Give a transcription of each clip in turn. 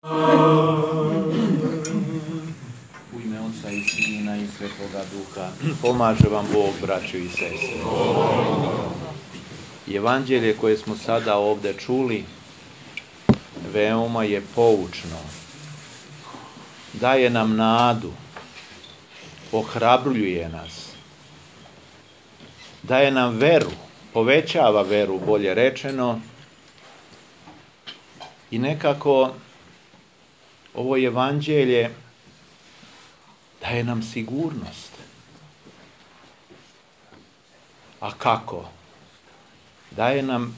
U ime Oca i Sina i Svetoga Duha, pomaže vam Bog, braćo i sestre. Evanđelje koje smo sada ovdje čuli veoma je poučno. Daje nam nadu, ohrabruje nas, daje nam veru, povećava veru, bolje rečeno, i nekako ovo evanđelje daje nam sigurnost. A kako?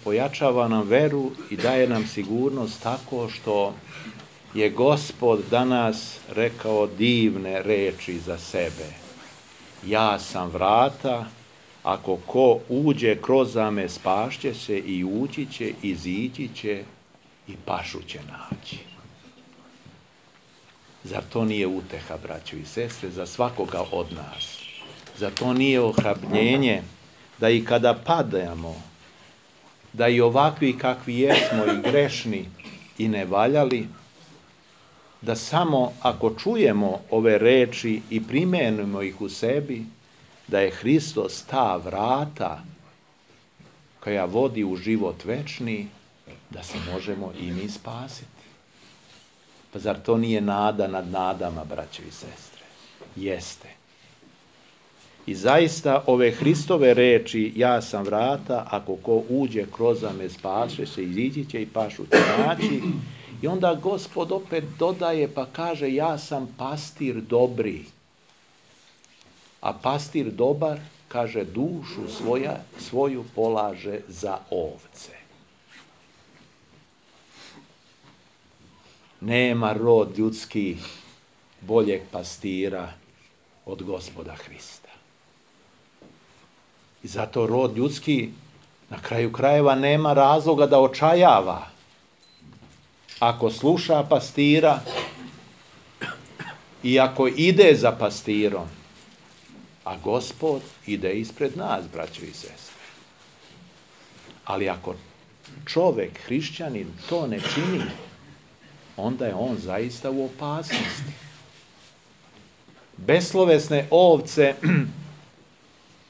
Pojačava nam veru i daje nam sigurnost tako što je Gospod danas rekao divne reči za sebe. Ja sam vrata, ako ko uđe kroz me spašće se i ući će, izići će i pašu će naći. Zar to nije uteha, braćo i sestre, za svakoga od nas? Zar to nije ohrabrenje da i kada padamo, da i ovakvi kakvi jesmo i grešni i nevaljali, da samo ako čujemo ove reči i primenimo ih u sebi, da je Hristos ta vrata koja vodi u život večni, da se možemo i mi spasiti. Pa zar to nije nada nad nadama, braćo i sestre? Jeste. I zaista ove Hristove reči, ja sam vrata, ako ko uđe kroz me spaše se, izići će i pašu će naći. I onda Gospod opet dodaje pa kaže, ja sam pastir dobri. A pastir dobar, kaže, dušu svoju polaže za ovce. Nema rod ljudski boljeg pastira od Gospoda Hrista. I zato rod ljudski na kraju krajeva nema razloga da očajava. Ako sluša pastira i ako ide za pastirom, a Gospod ide ispred nas, braćo i sestre. Ali ako čovjek, hrišćanin, to ne čini, onda je on zaista u opasnosti. Beslovesne ovce,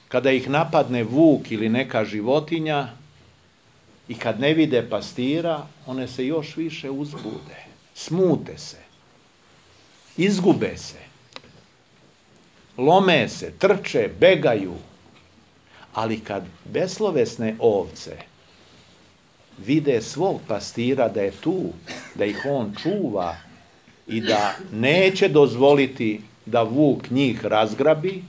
kada ih napadne vuk ili neka životinja i kad ne vide pastira, one se još više uzbude, smute se, izgube se, lome se, trče, begaju. Ali kad beslovesne ovce vide svog pastira da je tu, da ih on čuva i da neće dozvoliti da vuk njih razgrabi,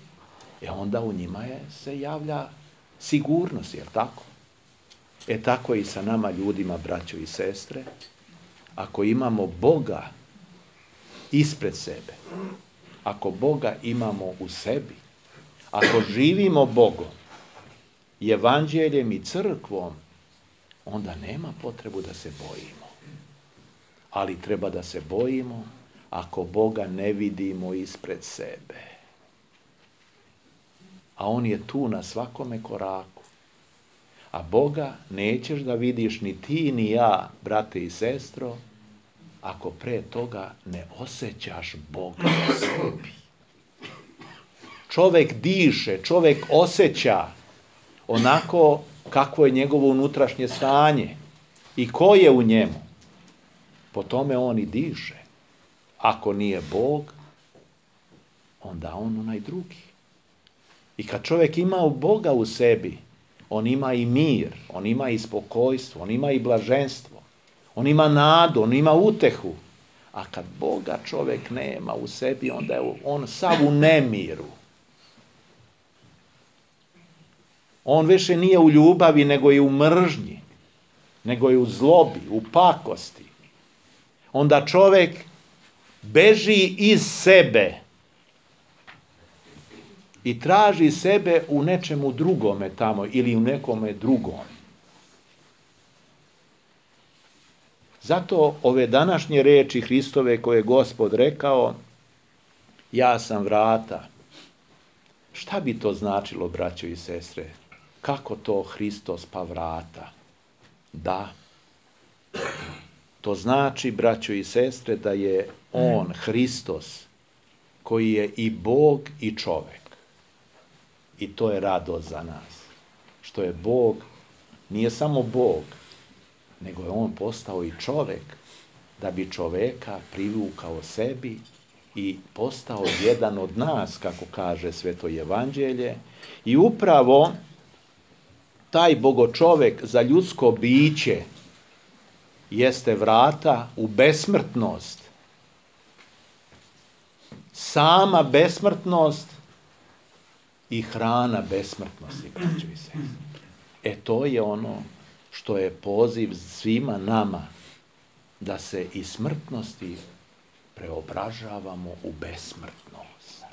onda u njima se javlja sigurnost, jel tako? Tako i sa nama ljudima, braćo i sestre, ako imamo Boga ispred sebe, ako Boga imamo u sebi, ako živimo Bogom, evanđeljem i crkvom, onda nema potrebu da se bojimo. Ali treba da se bojimo ako Boga ne vidimo ispred sebe. A on je tu na svakome koraku. A Boga nećeš da vidiš ni ti ni ja, brate i sestro, ako pre toga ne osjećaš Boga u sebi. Čovjek diše, čovjek osjeća onako kakvo je njegovo unutrašnje stanje i ko je u njemu. Po tome on i diše. Ako nije Bog, onda on onaj drugi. I kad čovjek ima Boga u sebi, on ima i mir, on ima i spokojstvo, on ima i blaženstvo, on ima nadu, on ima utehu. A kad Boga čovjek nema u sebi, onda je on sav u nemiru. On više nije u ljubavi, nego je u mržnji, nego je u zlobi, u pakosti. Onda čovjek beži iz sebe i traži sebe u nečemu drugome tamo ili u nekome drugom. Zato ove današnje reči Hristove koje je Gospod rekao, ja sam vrata. Šta bi to značilo, braćo i sestre? Kako to Hristos pa vrata? Da, To znači, braćo i sestre, da je on, Hristos, koji je i Bog i čovek. I to je radost za nas. Što je Bog, nije samo Bog, nego je on postao i čovek, da bi čoveka privukao sebi i postao jedan od nas, kako kaže Sveto Evanđelje. I upravo taj bogočovek za ljudsko biće jeste vrata u besmrtnost. Sama besmrtnost i hrana besmrtnosti, braćo i sestre. To je ono što je poziv svima nama, da se iz smrtnosti preobražavamo u besmrtnost.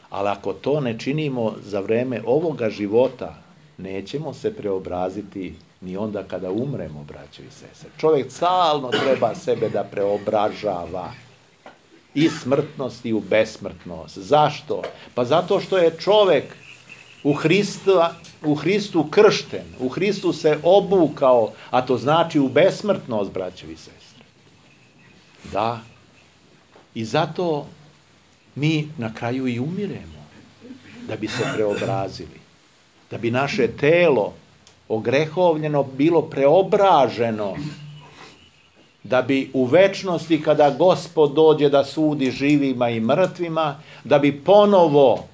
Ali ako to ne činimo za vreme ovoga života, nećemo se preobraziti ni onda kada umremo, braćo i sestre. Čovjek stalno treba sebe da preobražava iz smrtnosti u besmrtnost. Zašto? Pa zato što je čovjek u Hristu kršten, u Hristu se obukao, a to znači u besmrtnost, braćo i sestre. Da. I zato mi na kraju i umiremo, da bi se preobrazili, da bi naše telo ogrehovljeno bilo preobraženo, da bi u večnosti, kada Gospod dođe da sudi živima i mrtvima, da bi ponovo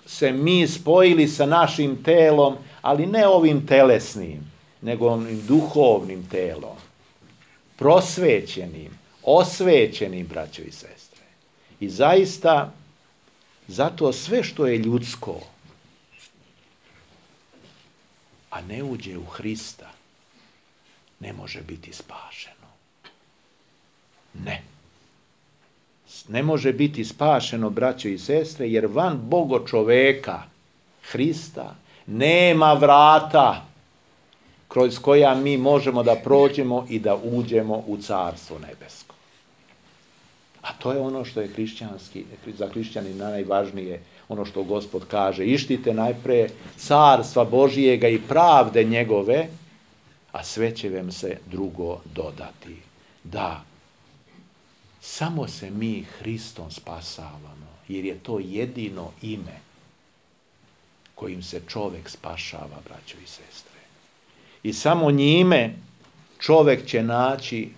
se mi spojili sa našim telom, ali ne ovim telesnim, nego ovim duhovnim telom, prosvećenim, osvećenim, braćo i sestre. I zaista, zato sve što je ljudsko, a ne uđe u Hrista, ne može biti spašeno. Ne. Ne može biti spašeno, braćo i sestre, jer van Bogo čoveka, Hrista, nema vrata kroz koja mi možemo da prođemo i da uđemo u Carstvo nebesko. A to je ono što je za hrišćanina najvažnije, ono što Gospod kaže: ištite najpre Carstva Božijega i pravde njegove, a sve će vam se drugo dodati. Da, samo se mi Hristom spasavamo, jer je to jedino ime kojim se čovjek spašava, braćo i sestre. I samo njime čovjek će naći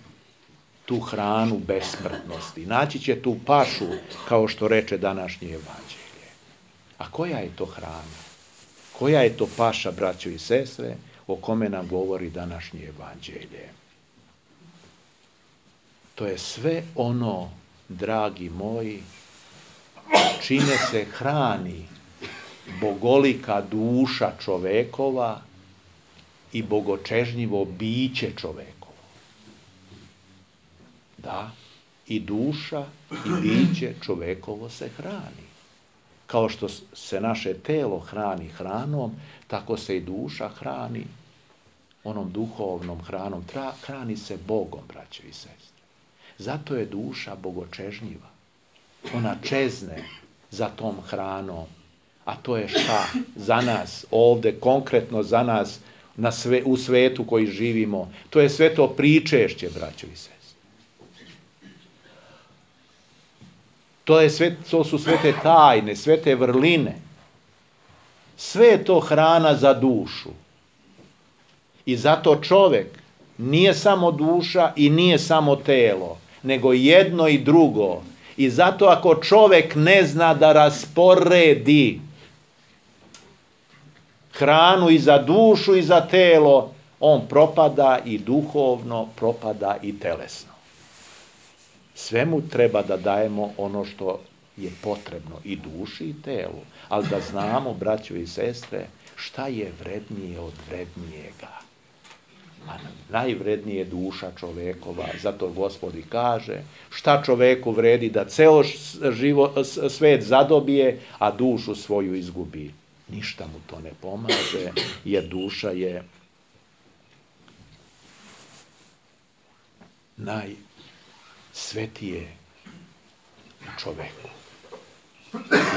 tu hranu besmrtnosti, naći će tu pašu, kao što reče današnje Evanđelje. A koja je to hrana? Koja je to paša, braćo i sestre, o kome nam govori današnje Evanđelje? To je sve ono, dragi moji, čime se hrani bogolika duša čovekova i bogočežnjivo biće čovekovo. Da, i duša i biće čovekovo se hrani. Kao što se naše telo hrani hranom, tako se i duša hrani onom duhovnom hranom. Hrani se Bogom, braćo i sestre. Zato je duša bogočežnjiva. Ona čezne za tom hranom. A to je šta? Za nas, ovdje konkretno za nas, u svetu koji živimo. To je sve to pričešće, braćo i sestre. To su sve te tajne, sve te vrline. Sve je to hrana za dušu. I zato čovjek nije samo duša i nije samo telo, nego jedno i drugo. I zato ako čovjek ne zna da rasporedi hranu i za dušu i za telo, on propada i duhovno, propada i telesno. Svemu treba da dajemo ono što je potrebno, i duši i telu, ali da znamo, braćo i sestre, šta je vrednije od vrednijega. A najvrednije je duša čovekova, zato Gospod i kaže: šta čoveku vredi da ceo svet zadobije, a dušu svoju izgubi. Ništa mu to ne pomaže, jer duša je najsvetije u čoveku.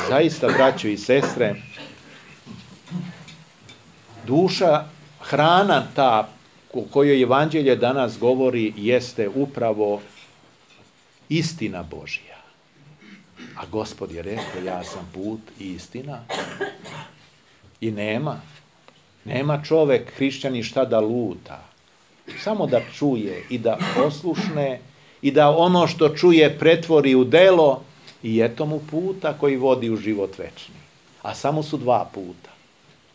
Zaista, braćo i sestre, duša, hrana ta o kojoj evanđelje danas govori jeste upravo istina Božja. A Gospod je rekao, ja sam put i istina. I nema čovek, hrišćanin, šta da luta. Samo da čuje i da poslušne i da ono što čuje pretvori u delo i eto mu puta koji vodi u život večni. A samo su dva puta.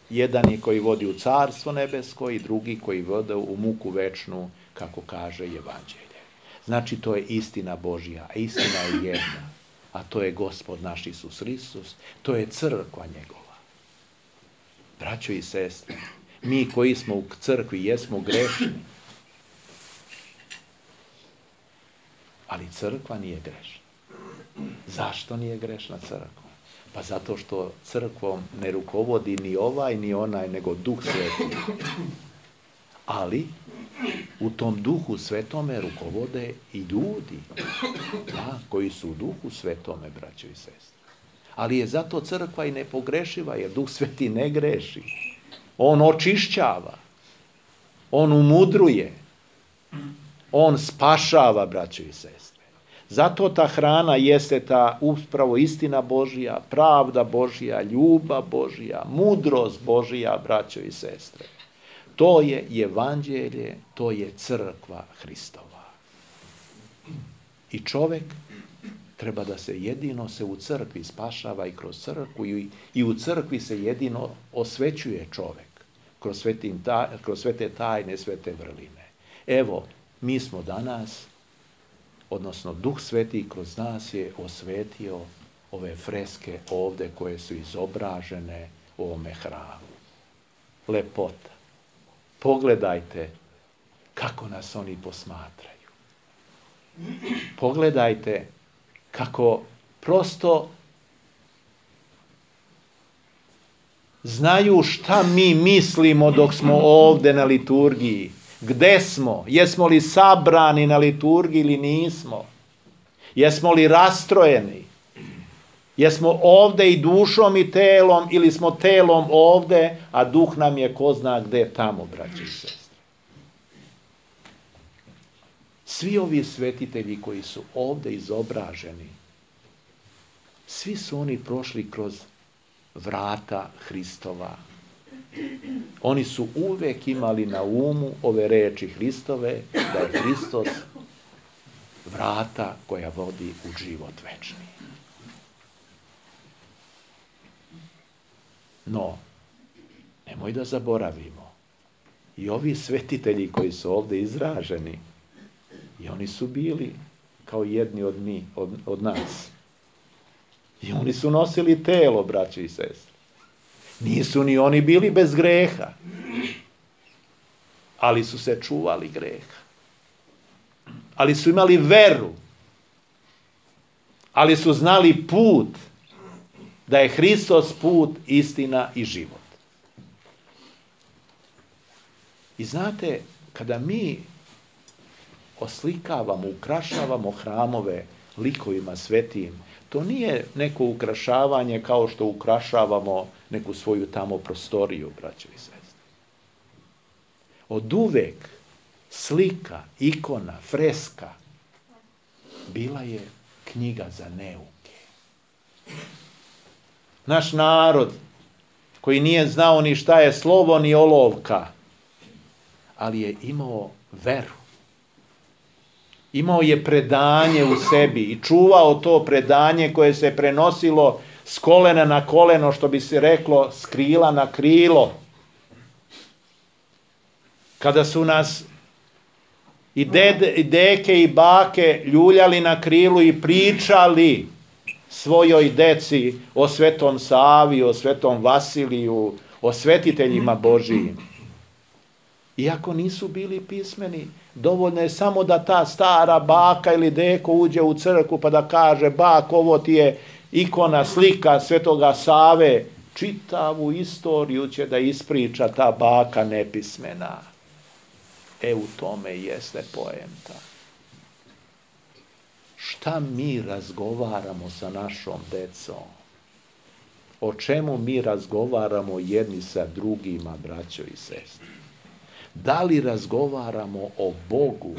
Jedan je koji vodi u carstvo nebesko i drugi koji vodi u muku večnu, kako kaže evanđelje. Znači, to je istina Božja, a istina je jedna. A to je Gospod naš Isus Hristos, to je crkva njegova. Braćo i sestre, mi koji smo u crkvi jesmo grešni, ali crkva nije grešna. Zašto nije grešna crkva? Pa zato što crkvom ne rukovodi ni ovaj ni onaj, nego Duh Sveti. Ali u tom Duhu Svetome rukovode i ljudi, da, koji su u Duhu Svetome, braćo i sestre. Ali je zato crkva i nepogrešiva, jer Duh Sveti ne greši. On očišćava, on umudruje, on spašava, braćo i sestre. Zato ta hrana jeste ta upravo istina Božja, pravda Božja, ljubav Božja, mudrost Božja, braćo i sestre. To je evanđelje, to je crkva Hristova. I čovek treba da se jedino u crkvi spašava i kroz crkvu i u crkvi se jedino osvećuje čovek kroz sve te tajne, sve te vrline. Evo, mi smo danas, odnosno Duh Sveti kroz nas je osvetio ove freske ovde koje su izobražene u ovome hramu. Lepota. Pogledajte kako nas oni posmatraju. Pogledajte kako prosto znaju šta mi mislimo dok smo ovde na liturgiji. Gde smo? Jesmo li sabrani na liturgiji ili nismo? Jesmo li rastrojeni? Jesmo ovde i dušom i telom ili smo telom ovde, a duh nam je ko zna gde tamo, braći i sestre. Svi ovi svetitelji koji su ovde izobraženi, svi su oni prošli kroz vrata Hristova. Oni su uvek imali na umu ove reči Hristove, da je Hristos vrata koja vodi u život večni. No, nemoj da zaboravimo, i ovi svetitelji koji su ovde izraženi, i oni su bili kao jedni od nas. I oni su nosili telo, braće i sestre. Nisu ni oni bili bez greha, ali su se čuvali greha. Ali su imali veru, ali su znali put, da je Hristos put, istina i život. I znate, kada mi oslikavamo, ukrašavamo hramove likovima svetim, to nije neko ukrašavanje kao što ukrašavamo neku svoju tamo prostoriju, braćo i sestre. Od uvek slika, ikona, freska bila je knjiga za neuke. Naš narod, koji nije znao ni šta je slovo ni olovka, ali je imao veru. Imao je predanje u sebi i čuvao to predanje koje se prenosilo s kolena na koleno, što bi se reklo, s krila na krilo. Kada su nas i deke i bake ljuljali na krilu i pričali svojoj deci o Svetom Savi, o Svetom Vasiliju, o svetiteljima Božijim. Iako nisu bili pismeni, dovoljno je samo da ta stara baka ili deko uđe u crkvu pa da kaže, bak, ovo ti je ikona, slika Svetoga Save. Čitavu istoriju će da ispriča ta baka nepismena. U tome jeste poenta. Šta mi razgovaramo sa našom decom? O čemu mi razgovaramo jedni sa drugima, braćo i sestre? Da li razgovaramo o Bogu,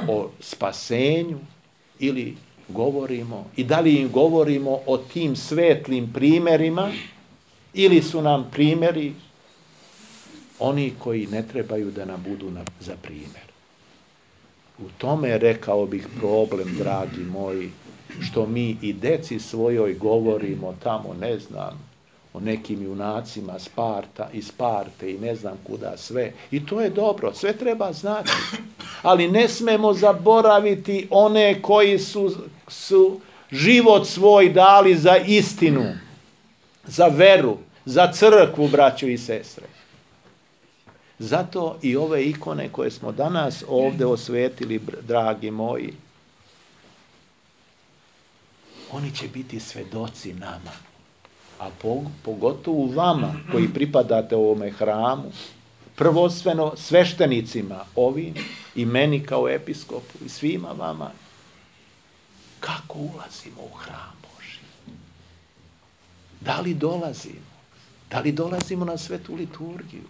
o spasenju, ili govorimo, i da li im govorimo o tim svetlim primjerima, ili su nam primjeri oni koji ne trebaju da nam budu za primjer. U tome, rekao bih, problem, dragi moji, što mi i deci svojoj govorimo tamo, ne znam, o nekim junacima iz Sparte i ne znam kuda sve. I to je dobro, sve treba znati. Ali ne smemo zaboraviti one koji su život svoj dali za istinu, za veru, za crkvu, braćo i sestre. Zato i ove ikone koje smo danas ovdje osvetili, dragi moji, oni će biti svedoci nama, a pogotovo vama koji pripadate ovome hramu, prvostveno sveštenicima ovim i meni kao episkopu i svima vama, kako ulazimo u hram Božji. Da li dolazimo? Da li dolazimo na svetu liturgiju?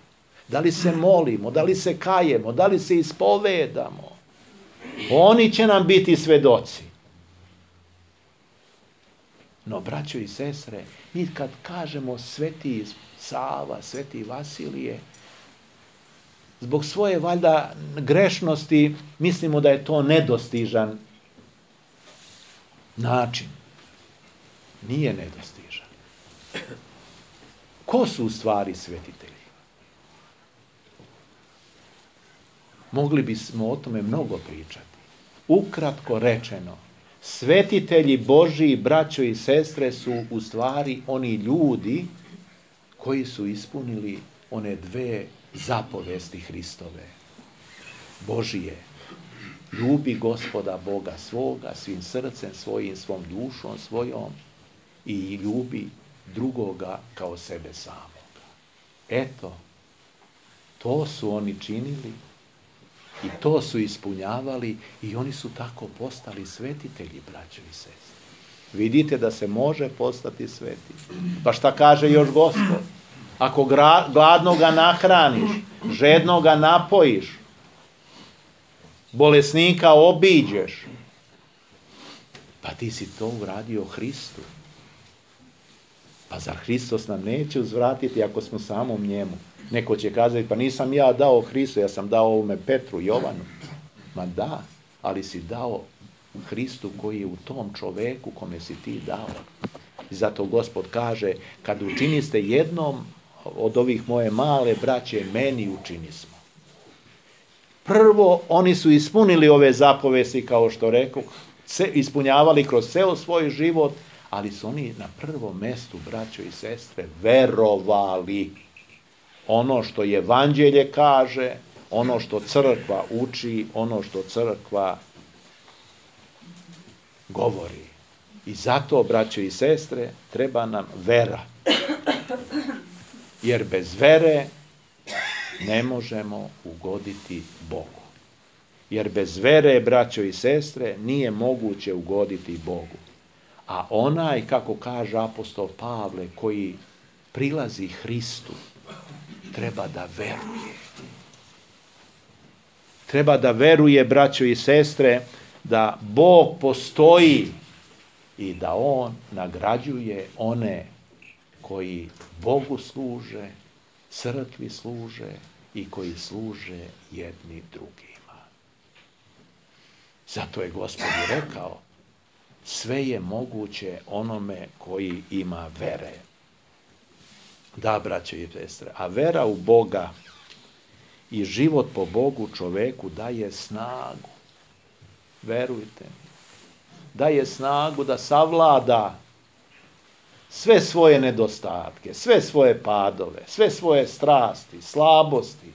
Da li se molimo? Da li se kajemo? Da li se ispovedamo? Oni će nam biti svedoci. No, braćo i sestre, mi kad kažemo Sveti Sava, Sveti Vasilije, zbog svoje valjda grešnosti mislimo da je to nedostižan način. Nije nedostižan. Ko su u stvari svetitelji? Mogli bismo o tome mnogo pričati. Ukratko rečeno, svetitelji Božji, braćo i sestre, su u stvari oni ljudi koji su ispunili one dve zapovesti Hristove. Božije, ljubi Gospoda Boga svoga svim srcem svojim, svom dušom svojom i ljubi drugoga kao sebe samoga. Eto, to su oni činili i to su ispunjavali i oni su tako postali svetitelji, braćo i sestre. Vidite da se može postati sveti. Pa šta kaže još Gospod? Ako gladnoga nahraniš, žednoga napojiš, bolesnika obiđeš, pa ti si to uradio Hristu. Pa zar Hristos nam neće uzvratiti ako smo samom njemu? Neko će kazati, pa nisam ja dao Hristu, ja sam dao ovome Petru, Jovanu. Ma da, ali si dao Hristu koji je u tom čoveku kome si ti dao. I zato Gospod kaže, kad učiniste jednom od ovih moje male braće, meni učini smo. Prvo, oni su ispunili ove zapovesti, kao što rekao, ispunjavali kroz ceo svoj život, ali su oni na prvom mestu, braćo i sestre, verovali. Ono što evanđelje kaže, ono što crkva uči, ono što crkva govori. I zato, braćo i sestre, treba nam vera. Jer bez vere ne možemo ugoditi Bogu. Jer bez vere, braćo i sestre, nije moguće ugoditi Bogu. A onaj, kako kaže apostol Pavle, koji prilazi Hristu, treba da veruje. Treba da veruje, braćo i sestre, da Bog postoji i da On nagrađuje one koji Bogu služe, crkvi služe i koji služe jedni drugima. Zato je Gospod rekao, sve je moguće onome koji ima vere. Da, braćo i sestre, a vera u Boga i život po Bogu čoveku daje snagu. Verujte mi. Daje snagu da savlada sve svoje nedostatke, sve svoje padove, sve svoje strasti, slabosti,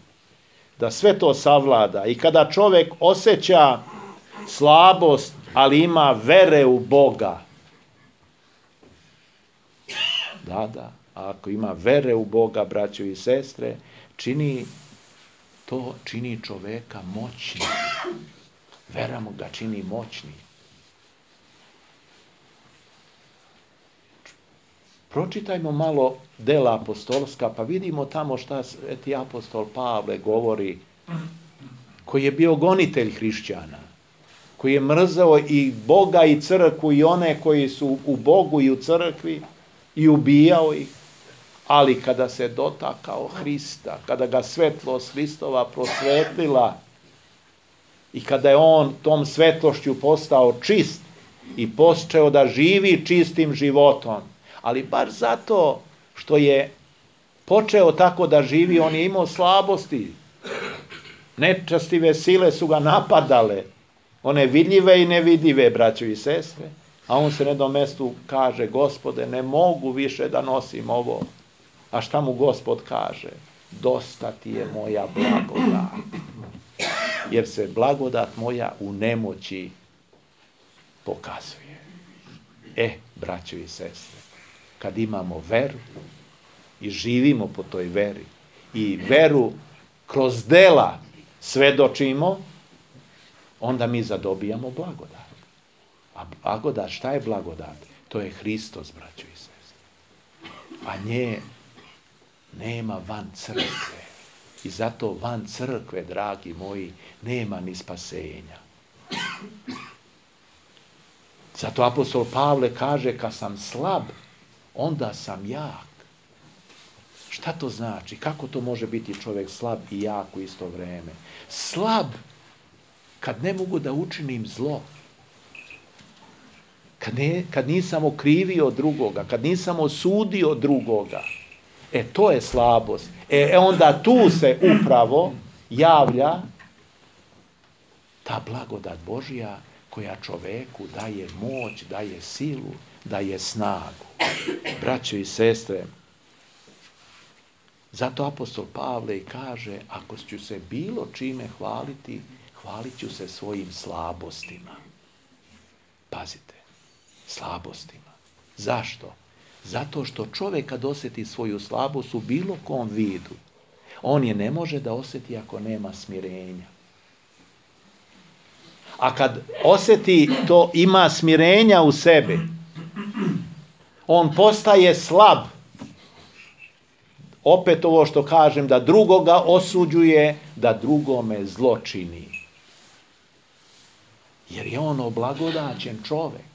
da sve to savlada. I kada čovjek osjeća slabost, ali ima vere u Boga, da, ako ima vere u Boga, braćo i sestre, čini čoveka moćnim. Vera mu ga čini moćnim. Pročitajmo malo dela apostolska, pa vidimo tamo šta sveti apostol Pavle govori koji je bio gonitelj hrišćana, koji je mrzeo i Boga i crkvu i one koji su u Bogu i u crkvi i ubijao ih, ali kada se dotakao Hrista, kada ga svetlost Hristova prosvetlila i kada je on tom svetlošću postao čist i počeo da živi čistim životom, ali baš zato što je počeo tako da živi, on je imao slabosti. Nečastive sile su ga napadale, one vidljive i nevidljive, braćo i sestre, a on se na jednom mestu kaže: Gospode, ne mogu više da nosim ovo. A šta mu Gospod kaže? Dosta ti je moja blagodat, jer se blagodat moja u nemoći pokazuje. Braćo i sestre, kad imamo veru i živimo po toj veri i veru kroz dela svedočimo, onda mi zadobijamo blagodat. A blagodat, šta je blagodat? To je Hristos, braćo i sestre. A nje nema van crkve. I zato van crkve, dragi moji, nema ni spasenja. Zato apostol Pavle kaže: kad sam slab, onda sam jak. Šta to znači? Kako to može biti čovjek slab i jak u isto vrijeme? Slab kad ne mogu da učinim zlo. Kad nisam okrivio drugoga, kad nisam osudio drugoga. To je slabost. Onda tu se upravo javlja ta blagodat Božja koja čoveku daje moć, daje silu, daje snagu. Braćo i sestre, zato apostol Pavle i kaže: ako ću se bilo čime hvaliti, hvalit ću se svojim slabostima. Pazite, slabostima. Zašto? Zato što čovjek kad osjeti svoju slabost u bilo kom vidu, on je ne može da osjeti ako nema smirenja. A kad osjeti to, ima smirenja u sebi, on postaje slab. Opet ovo što kažem, da drugoga osuđuje, da drugome zlo čini. Jer je on oblagodaćen čovjek.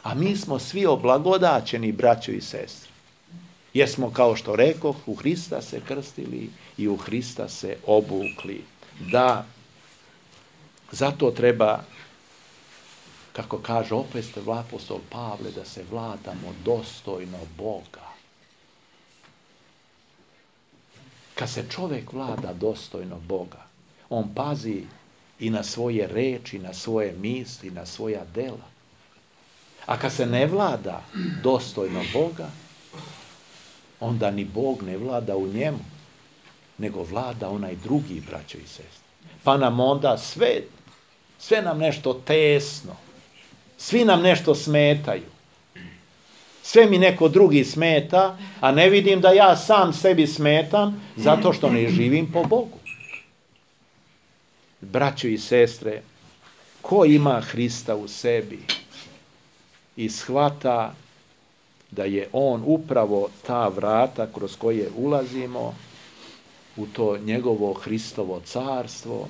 A mi smo svi oblagodaćeni, braćo i sestre. Jer smo, kao što rekoh, u Hrista se krstili i u Hrista se obukli. Da, zato treba, kako kaže opet apostol Pavle, da se vladamo dostojno Boga. Kad se čovjek vlada dostojno Boga, on pazi i na svoje reči, na svoje misli, na svoja dela. A kad se ne vlada dostojno Boga, onda ni Bog ne vlada u njemu, nego vlada onaj drugi, braćo i sestre. Pa nam onda sve nam nešto tesno, svi nam nešto smetaju. Sve mi neko drugi smeta, a ne vidim da ja sam sebi smetam, zato što ne živim po Bogu. Braćo i sestre, ko ima Hrista u sebi i shvata da je on upravo ta vrata kroz koje ulazimo u to njegovo Hristovo carstvo,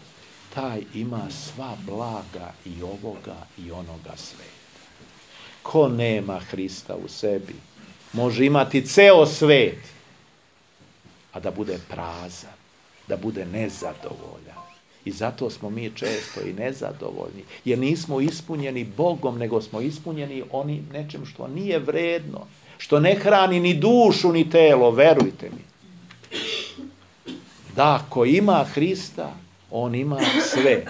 taj ima sva blaga i ovoga i onoga sveta. Ko nema Hrista u sebi, može imati ceo svet, a da bude prazan, da bude nezadovoljan. I zato smo mi često i nezadovoljni, jer nismo ispunjeni Bogom, nego smo ispunjeni onim nečem što nije vredno, što ne hrani ni dušu ni telo, verujte mi. Da, ko ima Hrista, on ima sve,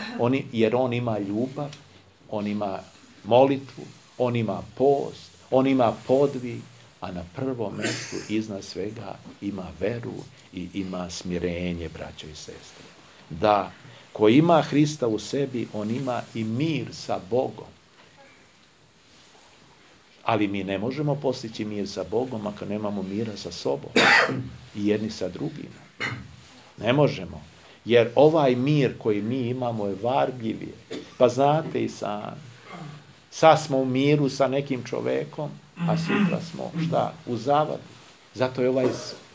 jer on ima ljubav, on ima molitvu, on ima post, on ima podvig, a na prvom mjestu iznad svega ima veru i ima smirenje, braćo i sestre. Da, ko ima Hrista u sebi, on ima i mir sa Bogom. Ali mi ne možemo postići mir sa Bogom ako nemamo mira sa sobom i jedni sa drugima. Ne možemo. Jer ovaj mir koji mi imamo je varljiv. Pa znate i sami. Sad smo u miru sa nekim čovekom, a sutra smo u zavadi. Zato je ovaj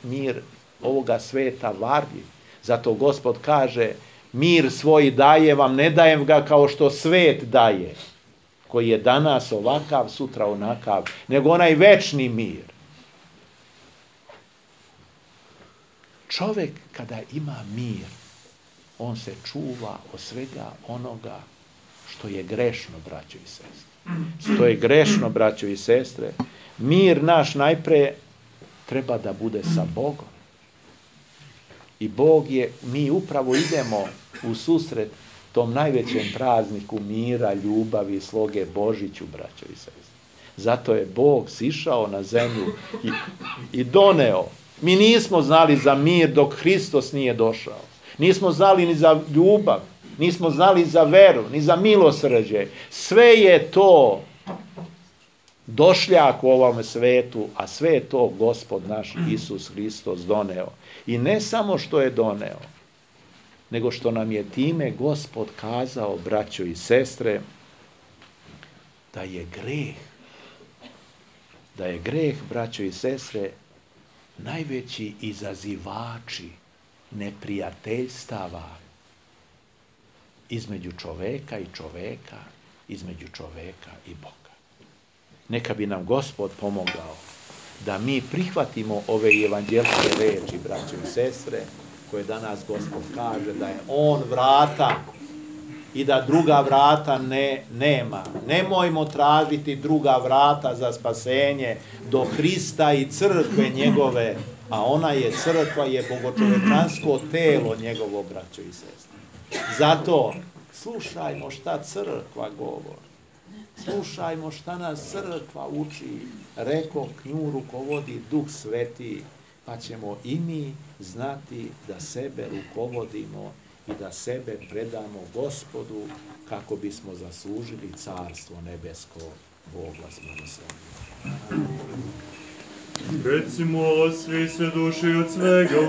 mir ovoga sveta varljiv. Zato Gospod kaže: Mir svoj daje vam, ne dajem ga kao što svet daje, koji je danas ovakav, sutra onakav, nego onaj večni mir. Čovjek kada ima mir, on se čuva od svega onoga što je grešno, braćo i sestre. Što je grešno, braćo i sestre. Mir naš najpre treba da bude sa Bogom. I Bog je, mi upravo idemo u susret tom najvećem prazniku mira, ljubavi i sloge Božiću, braćo i sestre. Zato je Bog sišao na zemlju i doneo. Mi nismo znali za mir dok Hristos nije došao. Nismo znali ni za ljubav, nismo znali za veru, ni za milosrđe. Sve je to došljak u ovome svetu, a sve je to Gospod naš Isus Hristos doneo. I ne samo što je doneo, nego što nam je time Gospod kazao, braćo i sestre, da je greh, braćo i sestre, najveći izazivači neprijateljstava između čoveka i čoveka, između čoveka i Boga. Neka bi nam Gospod pomogao da mi prihvatimo ove evanđelske reči, braćo i sestre, koje danas Gospod kaže da je On vrata i da druga vrata nema. Nemojmo tražiti druga vrata za spasenje do Hrista i crkve njegove, a ona je crkva, je bogočovečansko telo njegovo, braćo i sestre. Zato slušajmo šta crkva govori. Slušajmo šta nas crkva uči. Reko, nju rukovodi Duh Sveti, pa ćemo i mi znati da sebe rukovodimo i da sebe predamo Gospodu kako bismo zaslužili carstvo nebesko. Bog vas blagoslovi. Recimo svi sve duše od svega